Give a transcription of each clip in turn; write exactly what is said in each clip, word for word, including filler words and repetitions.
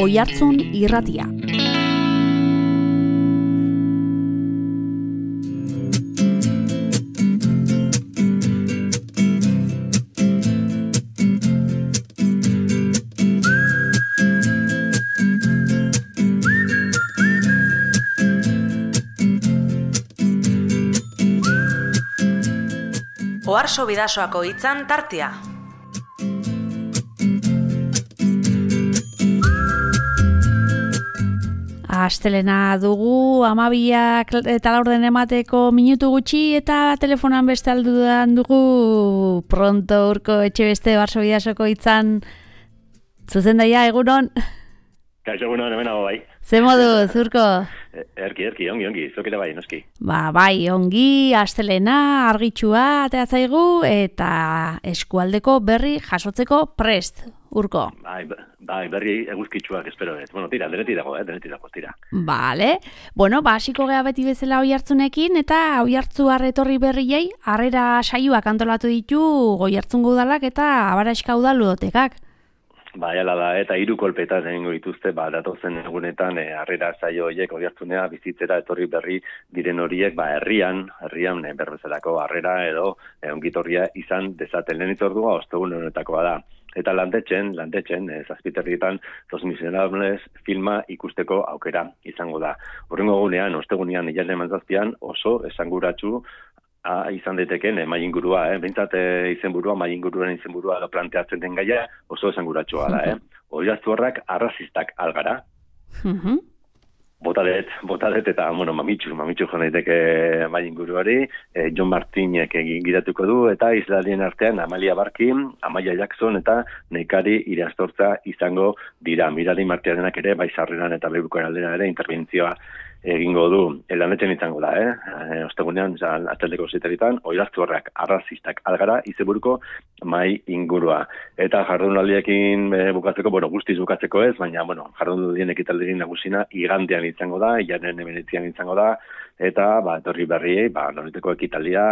Oihartzun Irratia. Oharso Bidasoako hitzan tartea. Astelena dugu, hamabiak eta laurden emateko minutu gutxi eta telefonan beste aldudan dugu pronto urko etxe beste Oharso Bidasoko hitzan zuzendaia egunon. Kaixo egunon, hemen hago bai. Ze modu, zurko? Erki, erki, ongi, ongi, zokera bai, noski. Ba, bai, ongi, astelena, argitsua, atea zaigu, eta eskualdeko berri jasotzeko prest, urko. Bai, bai, berri eguzkitsuak espero ez. Bueno, tira, denetik dago, eh, denetik dago, tira. Vale, bueno, ba, hasiko gea beti bezala Oihartzunekin, eta Oihartzun etorri berriei, harrera saioak antolatu ditu Oihartzungo udalak eta Abaraxka udal ludotekak. Ba, jala da, eta hiru kolpetan egingo dituzte, ba, datozen egunetan, e, harrera saio horiek Oihartzunea bizitzera etorri berri diren horiek, ba, herrian, herrian e, berbezalako harrera edo e, ongitorria izan dezaten lehen itzordua, ostegun honetakoa da. Eta landetxen, landetxen, e, zazpiterrietan, Los Miserables filma ikusteko aukera izango da. Horrengo egunean, ostegunean, hilaren manzazpian, oso esanguratsu Ah, izan daiteken eh, mai ingurua, eh? Behintzat eh, izenburua, mai inguruaren izenburua edo planteatzen den gaia oso esanguratsua da, eh? Oihartzurrak arrazistak algara. Uh-huh. Botadet, botadet eta, bueno, mamitxu, mamitxu joan daiteke mai inguruari, eh, John Martinek gidatuko du, eta isladien artean Amalia Barkin, Amaia Jackson eta Nekari Irastortza izango dira. Mirari Martiarenak ere, bai sarreran eta bebukoen aldera ere interbentzioa egingo du, lanetzen izango da, eh? E, ostegunean, ataldeko zitaritan, Oihartzurrak arrazistak algara izenburuko mai ingurua. Eta jardunaldiekin e, bukatzeko, bueno, guztiz bukatzeko ez, baina, bueno, jardunaldien ekitaldirik nagusina igandean izango da, ilanen hemeretzian izango da, eta, ba, etorri berriei, ba, noliteko ekitaldia,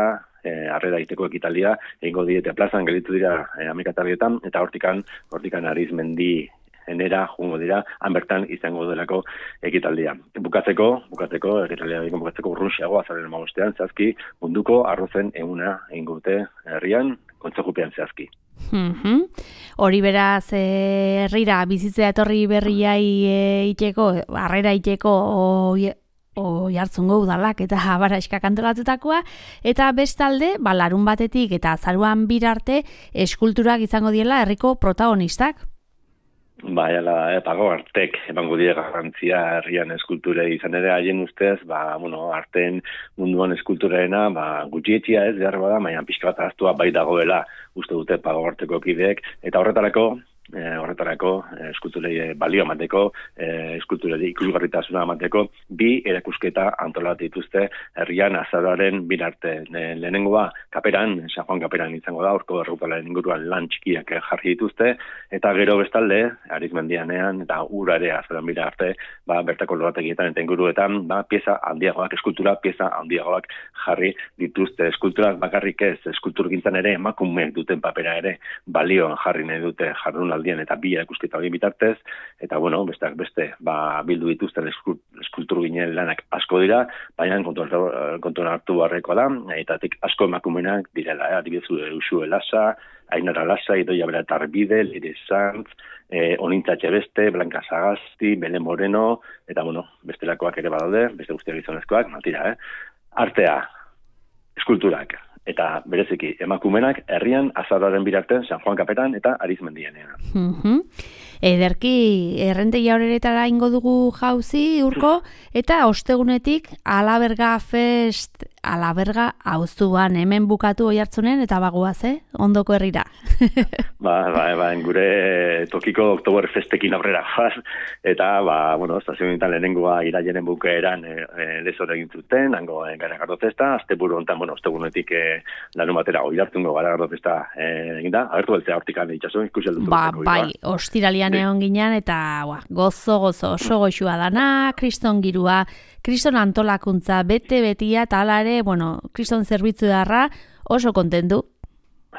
e, harrera iteko ekitaldia, egingo diete plazan, gelitu dira e, amekatarrietan, eta hortikan, hortikan Arizmendi enera, jungo dira, hanbertan izango delako ekitaldia. Bukatzeko, bukatzeko, ekitaldia bukatzeko urrunxeago, azaren amabostean, zehazki, munduko arrozen eguna egingo dute herrian, kontzejupean zehazki. Mm-hmm. Hori beraz, eh, herrira, bizitzea etorri berriai eh, iteko, harrera iteko, oi... Oihartzungo udalak eta Abaraxkak antolatutakoa, eta bestalde, ba, larun batetik eta azaruan birarte eskulturak izango diela herriko protagonistak. Ba, jala, eh, pago artek emango die garrantzia herrian eskulturei izan ere haien ustez, ba, bueno, arten munduan eskulturarena, ba, gutxietxia ez behar bada, baina pixka bat ahaztua bai dagoela uste dute pago arteko kideek, eta horretarako, E, horretarako e, eskulturei e, balio emateko, e, eskulturei ikusgarritasuna emateko, bi erakusketa antolatu dituzte herrian azaroaren birarte. E, lehenengoa kaperan, San Juan kaperan izango da, orko errupalaren inguruan lan txikiak jarri dituzte, eta gero bestalde, Arizmendianean eta urare azaroan birarte, ba, bertako lorategietan eta inguruetan, ba, pieza handiagoak, eskultura pieza handiagoak jarri dituzte. Eskulturak bakarrik ez, eskulturgintzan ere emakumeek duten papera ere balioan jarri nahi dute jardun eta bi erakusketa hori bitartez, eta bueno, besteak beste, ba, bildu dituzten eskultur ginen lanak asko dira, baina kontuan hartu barrekoa da, etatik asko emakumenak direla, eh? Adibidezu Uxue Lasa, Ainara Lasa, Idoia Bera Tarbide, Lire Sanz, eh, Onintza Txebeste, Blanca Sagasti, Bele Moreno, eta bueno, bestelakoak ere badaude, beste guztiak gizonezkoak, matira, eh? Artea, eskulturak, eta bereziki emakumenak herrian azaroaren birartean San Juan kaperan eta Arizmendianean. Mm-hmm. Ederki, errentegia horeretara ingo dugu jauzi, urko, eta ostegunetik Alaberga Fest, Alaberga auzuan, hemen bukatu Oihartzunen, eta bagoaz, eh? Ondoko herrira. ba, ba, ba, gure tokiko Oktober Festekin aurrera jaz, eta, ba, bueno, estazionetan lehenengoa irailaren bukaeran e, e, lezore egin zuten, hango e, Garagardo Festa, asteburu hontan, bueno, ostegunetik e, larun batera Oihartzungo Garagardo Festa e, egin da, agertu beltzea hortikan itxaso, ikusi aldutu. Ba, bai, ostiralian egon ginen, eta ba, gozo, gozo, oso goxua dana, kriston girua, kriston antolakuntza, bete-betia, eta ala ere, bueno, kriston zerbitzu darra, oso kontentu.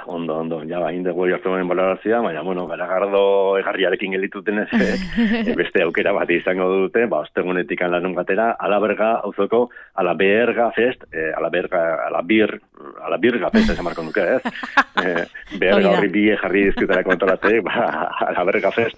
Ondo, ondo, ja, bain dugu jortzen balorazioa, baina, bueno, garagardo egarriarekin gelituten ez, e, beste aukera bat izango dute, ba, ostegunetik lanun gatera, Alaberga, auzoko, Alaberga fest, e, Alaberga, Alabir, Alabirga fest, esan marko nuke, ez? E, Berga horri bi jarri dizkutera kontolatzek, ba, Alaberga fest,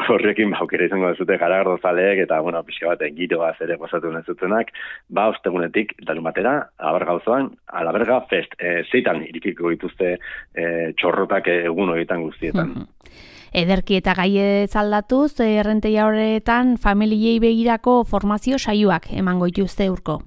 horrekin, ba, aukera izango dezute garagardo zaleek, eta, bueno, pixka bat, giroa zere gozatu nezutenak, ba, ostegunetik lanun batera, Alaberga auzoan, Alaberga fest, e, zeitan irikiko dituzte e, txorrotak egun horietan guztietan. Ederki eta gaie zaldatuz, errenteia horretan familiei begirako formazio saioak emango dituzte urko.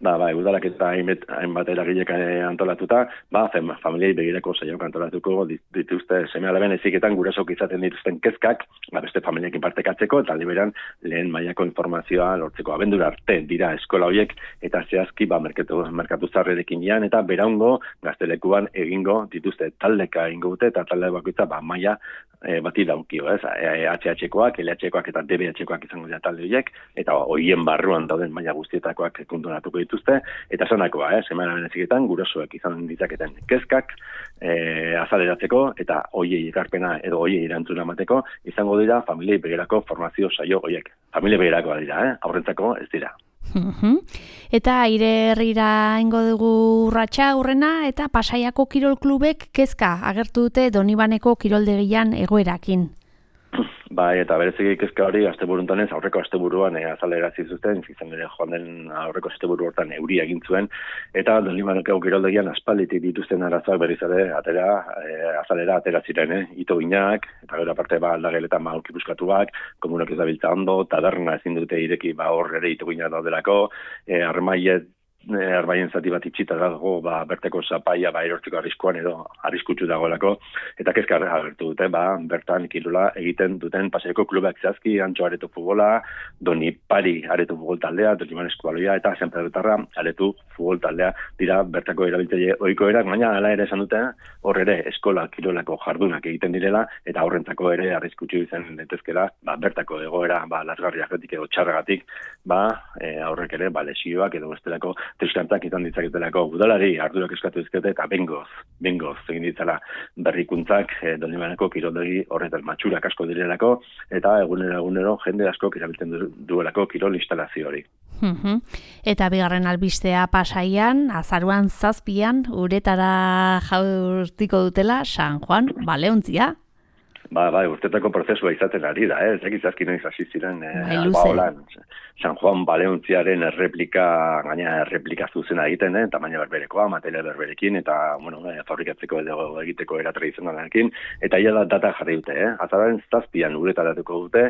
Ba, ba, udalak eta hainbat eragilek antolatuta, ba, familiei begirako saioak antolatuko dituzte seme-alaben eziketan gurasok izaten dituzten kezkak, ba, beste familiekin partekatzeko, eta liberan lehen mailako informazioa lortzeko abendura arte dira eskola horiek, eta zehazki, ba, merkatu, merkatu zarrerekin ian, eta beraungo gaztelekuan egingo dituzte taldeka egingo dute, eta talde bakoitza, ba, maila e, bati daukio, ez? H H-koak, L H-koak eta D B H-koak izango dira talde horiek, eta hoien barruan dauden maila guztietakoak konturatuko dituzte, eta zanakoa, eh, semana beneziketan, gurasoek izan ditzaketen kezkak eh, azaleratzeko, eta hoiei ekarpena edo hoiei erantzuna emateko, izango dira familiei begirako formazio saio horiek. Familiei begirakoa dira, eh, aurrentzako ez dira. Eta aire herrira ingo dugu urratsa aurrena, eta Pasaiako Kirol Klubek kezka agertu dute Donibaneko kiroldegian egoerakin. Bai, eta bereziki kezka hori asteburuntanez aurreko asteburuan e, azalerazi zuten, izan ere joan den aurreko asteburu hortan euri egin zuen, eta Donibaneko kiroldegian aspalditik dituzten arazoak berriz ere atera, e, azalera atera ziren, eh? Ito ginak, eta gero aparte ba, aldageletan ba, buskatuak, komunak ez dabiltza ondo, taberna ezin dute ireki ba, hor ere ito ginak daudelako, e, armaiet, arbaien zati bat itxita dago, ba, berteko zapaia ba, erortzeko arriskuan edo arriskutsu dagoelako, eta kezka agertu dute, ba, bertan kirola egiten duten Pasaiako klubak zehazki, Antxo areto futbola, Doni Pari areto futbol taldea, Doniban eskualoia, eta San Pedrotarra areto futbol taldea dira bertako erabiltzaile ohikoerak, baina hala ere esan dute, hor ere eskola kirolako jardunak egiten direla, eta horrentzako ere arriskutsu izan daitezkela, ba, bertako egoera, ba, lasgarriagatik edo txarragatik, ba, e, aurrek ere, ba, lesioak edo bestelako triskantzak izan ditzaketelako udalari ardurak eskatu dizkete eta bengoz, bengoz egin ditzala berrikuntzak e, Donibaneko kiroldegi horretan matxurak asko direlako eta egunero egunero jende asko erabiltzen du, duelako kirol instalazio hori. Eta bigarren albistea Pasaian, azaruan zazpian, uretara jaurtiko dutela San Juan Baleontzia. Ba, bai, urtetako prozesua izaten ari da, eh? Zeki zazki noiz hasi ziren eh, Albaolan. San Juan Baleontziaren erreplika, gaina erreplika zuzena egiten, eh? Tamaina berberekoa, materia berberekin, eta, bueno, eh, fabrikatzeko edo egiteko era tradizionalarekin, eta ia da data jarri dute, eh? Azararen zazpian uretaratuko dute,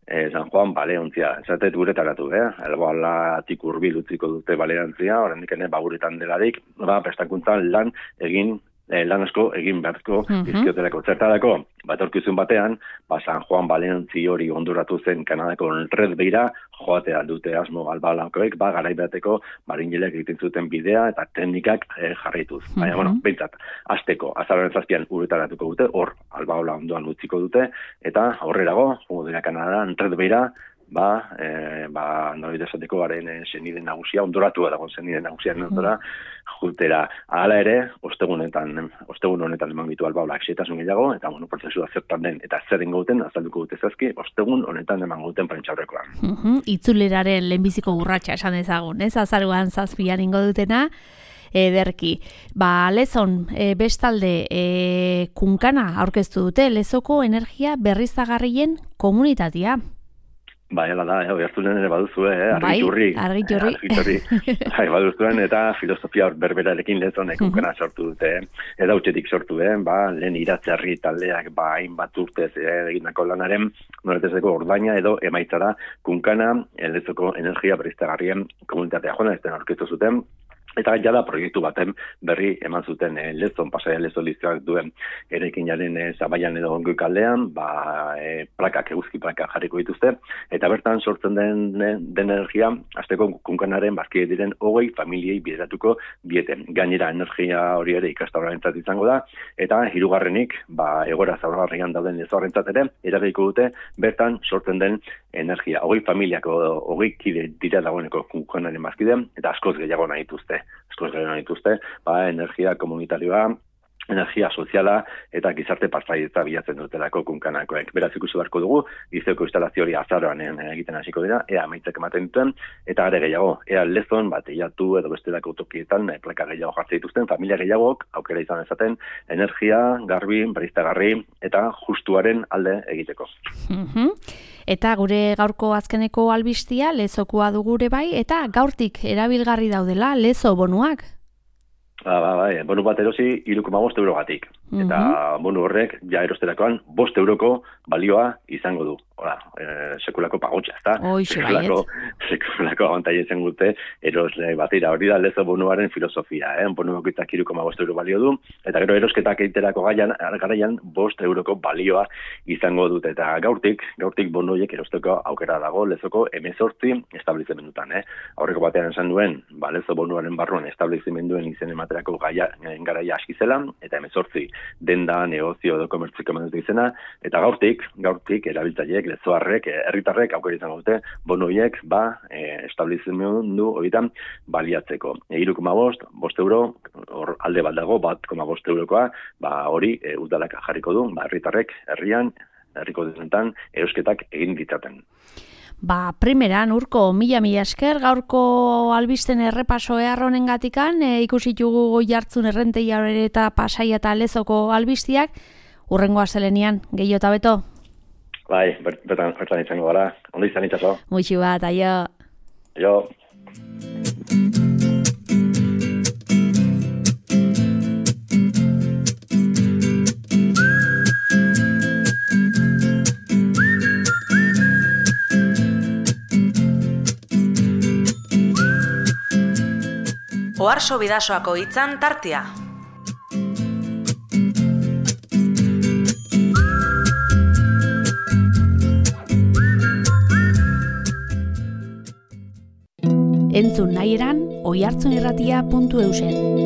eh, San Juan Baleontzia, esatet uretaratu, eh? Albaolatik hurbil utziko dute Baleontzia, oraindik ene, ba, uretan delarik, ba, prestakuntzan lan egin Eh, lan asko egin beharko bizkiotelako. Zertarako, batorkizun batean, ba, San Juan Baleontzi hori onduratu zen Kanadako Red Beira, joatea dute asmo albalakoek, ba, garaibateko marinelek egiten zuten bidea eta teknikak eh, jarraituz. Baina, bueno, behintzat, azteko, azararen zazpian uretaratuko dute, hor, albaola ondoan utziko dute, eta aurrerago, jongo dira Kanada, Red Beira, ba, e, ba, nolite esateko garen e, zenide nagusia, ondoratu dago zenide nagusia ondora, jutera. Hala ere, ostegunetan, ostegun honetan eman gitu albaolak xetasun gehiago, eta, bueno, prozesua zertan den, eta zer ingo duten, azalduko dute zazki, ostegun honetan eman duten prentxaurrekoan. Uh-huh. Itzuleraren lehenbiziko urratsa esan dezagun, ez? Azaruan zazpian ingo dutena, ederki. Ba, Lezon, e, bestalde, e, kunkana aurkeztu dute, Lezoko energia berriztagarrien komunitatea. Bai, ala da, eh, oihartzunen ere baduzue, eh, argiturri. Bai, argiturri. argiturri. Bai, baduzuen, eta filosofia berberarekin Lezonek kunkana sortu dute, eta utxetik sortu, eh, ba, lehen iratzerri taldeak, ba, hainbat urtez eh, egindako lanaren, noretezeko ordaina edo emaitzara kunkana, Lezoko energia berriztagarrien komunitatea joan, ez den aurkeztu zuten, eta jada proiektu baten berri eman zuten e, Lezon, Pasaia Lezon liztrak duen eraikinaren e, Zabaian edo Ongoi kaldean, ba, e, plakak, eguzki plakak jarriko dituzte, eta bertan sortzen den, den energia, azteko kunkanaren bazkide diren hogei familiei bideratuko bieten. Gainera energia hori ere ikastaurarentzat izango da, eta hirugarrenik, ba, egora zaurgarrian dauden lezoarrentzat ere, eragiko dute bertan sortzen den energia. Hogei familiako, hogei kide dira dagoeneko kunkanaren bazkide, eta askoz gehiago nahi dituzte. Askoz gehiago nahi dituzte, ba, energia komunitarioa, energia soziala eta gizarte partaidetza bilatzen dutelako kunkanakoek. Beraz ikusi beharko dugu, Lizeoko instalazio hori azaroan egiten hasiko dira, ea amaitzak ematen duten, eta are gehiago, ea lezon, bat, eiatu edo bestelako tokietan, plaka gehiago jartzen dituzten, familia gehiagok, aukera izan ezaten, energia, garbi, berriztagarri, eta justuaren alde egiteko. Mm-hmm. Eta gure gaurko azkeneko albistia, lezokoa dugure bai, eta gaurtik erabilgarri daudela, lezo bonuak. Ba, ba, ba, bonu bat erosi, hiru koma bost eurogatik. Mm-hmm. Eta bonu horrek, ja erosterakoan, bost euroko balioa izango du. Hola, e, sekulako pagotxa, ezta? Oixe, sekulako, sekulako abantaia izan gute, erosle batira, hori da lezo bonuaren filosofia, eh? Bonu bakoitzak hiru koma bost euro balio du, eta gero erosketak egiterako gaian, garaian, bost euroko balioa izango dute. Eta gaurtik, gaurtik bonu horiek erosteko aukera dago, lezoko hemezortzi establizimendutan, eh? Aurreko batean esan duen, ba, lezo bonuaren barruan establizimenduen izen ematerako gaia, garaia aski zela, eta hemezortzi denda, negozio edo komertziko emandutu izena, eta gaurtik, gaurtik erabiltzaileek, lezoarrek, herritarrek aukera izango dute, bono horiek, ba, e, establizimendu horietan baliatzeko. E, hiru koma bost, bost euro, hor alde bat dago, bat koma bost eurokoa, ba, hori e, udalak jarriko du, ba, herritarrek, herrian, herriko denetan, erosketak egin ditzaten. Ba, primeran, urko, mila-mila esker, gaurko albisten errepaso eharronen gatikan, e, ikusitugu goi hartzun errenteia eta Pasaia eta Lezoko albistiak, urrengo astelenian, gehiago eta beto? Bai, bertan, bertan izango gara, ondo izan itxaso. Muixi bat, aio. Aio. Oharso Bidasoako hitzan tartea. Entzun nahi eran, oihartzunirratia puntu eusen.